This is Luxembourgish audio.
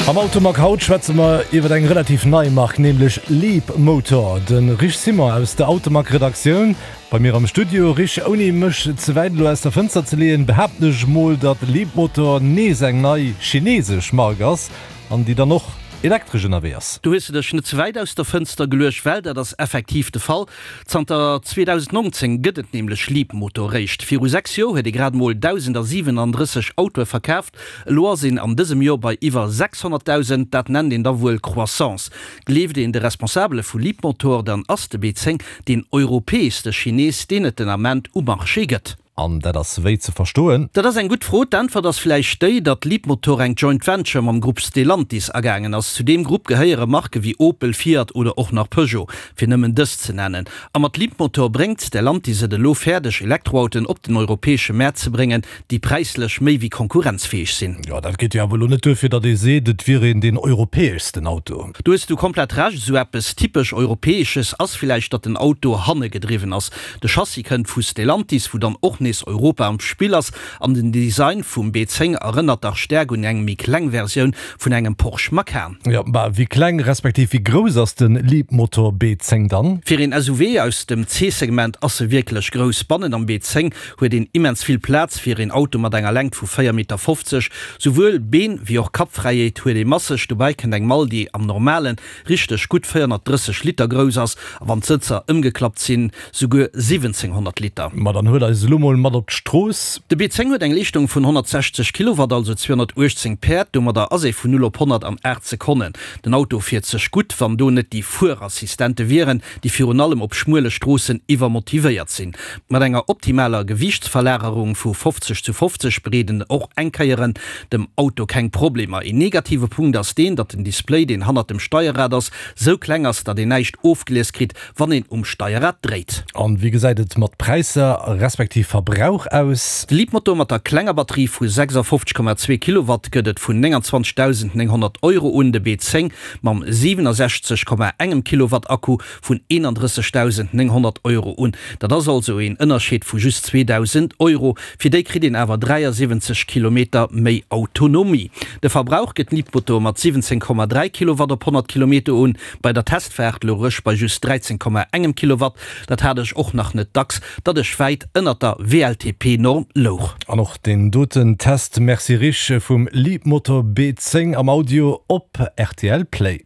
Am Automag haut schwätze mer iwwer eng relativ nei Mark, nämlech Leapmotor. De Rich Simon aus der Automag-Redaktioun bei mir am Studio. Rich, ouni mech ze wäit elo aus der Fënster ze leeën, behaapten ech mol, datt Leapmotor nees eng nei chinesesch Mark ass an déi dann och elektresch ënnerwee ass. Do hues de dech net ze wäit aus der Fënster geluecht, well dat ass effektiv de Fall. Zanter 2019 gëtt et nämlech Leapmotor réischt. Viru 6 Joer huet ee grad mol 1.037 Autoe verkaaft, elo ass een an dësem Joer bei iwwer 600.000. Dat nennt een da wuel Croissance. Gleeft een de Responsabele vu Leapmotor, dann ass de B10 deen europäeschste Chinees, deen et den Ament um Marché gëtt. An dat ass wéi ze verstoen? Dat ass eng gutt Fro. D'Äntwert ass vläicht déi, datt Leapmotor eng Joint Venture mam Grupp Stellantis agaangen ass. Zu deem Grupp gehéiere Marke wéi Opel, Fiat oder och nach Peugeot, fir nëmmen dës ze nennen. A mat Leapmotor bréngt Stellantis et elo fäerdeg, Elektroautoen op den europäesche Mäert ze bréngen, déi präislech méi wéi konkurrenzfäeg sinn. Jo, dat geet jo awer elo net duer, fir datt ee seet, et wier een deen europäeschsten Auto. Do hues du komplett Recht. Esou eppes typesch Europäesches ass villäicht, datt den Auto hanne gedriwwen ass. De Chassis kënnt vu Stellantis, wou dann och nees Europa am Spill ass, an den Design vum B10 erënnert dach staark un eng méi kleng Versioun vun engem Porsche Macan. Jo, bah, wéi kleng respektiv wéi grouss ass de Leapmotor B10 dann? Fir een SUV aus dem C-Segment ass e wierklech grouss. Bannen am B10 huet een immens vill Plaz fir een Auto mat enger Längt vu 4,50 Meter. Souwuel Been wéi och Kappfräiheet huet ee masseg. Dobäi kënnt eng Mall, déi am normalen richteg gutt 430 Liter grouss ass, a wann d'Sëtzer ëmgeklappt sinn, souguer 1700 Liter. Ma dann huel eis elo mol mat op d'Strooss. De B10 huet eng Leeschtung vun 160 Kilowatt, also 218 Päerd. Domadder ass ee vun 0 op 100 an 8 Sekonnen. Den Auto fiert sech gutt, wann do net déi Fuerassistente wieren, déi virun allem op schmuele Stroossen iwwermotivéiert sinn. Mat enger optimaler Gewiichtsverlagerung vu 50 zu 50 bereeden och Enkéieren dem Auto keng Problemer. Een negative Punkt ass deen, datt den Display, deen hannert dem Steierrad ass, sou kleng ass, datt een näischt ofgelies kritt, wann een um Steierrad dréit. An wéi gesäit et mat Präisser respektiv Verbrauch aus? De Leapmotor mat der klenger Batterie vu 56,2 Kilowatt gëtt et vun 29.900 Euro un, de B10 mam 67,engem Kilowatt Akku vun 31.900 Euro un. Dat ass also een Ënnerscheed vu just 2.000 Euro. Fir déi kritt een awer 73 Kilometer méi Autonomie. De Verbrauch gëtt Leapmotor mat 17,3 Kilowatt op 100 Kilometer un. Bei der Testfaart louch ech bei just 13,engem Kilowatt. Dat hat ech och nach net dacks, datt ech wäit ënnert der WLTP-Norm louch. An och deen doten Test, merci Rich, vum Leapmotor B10 am Audio op rtl Play.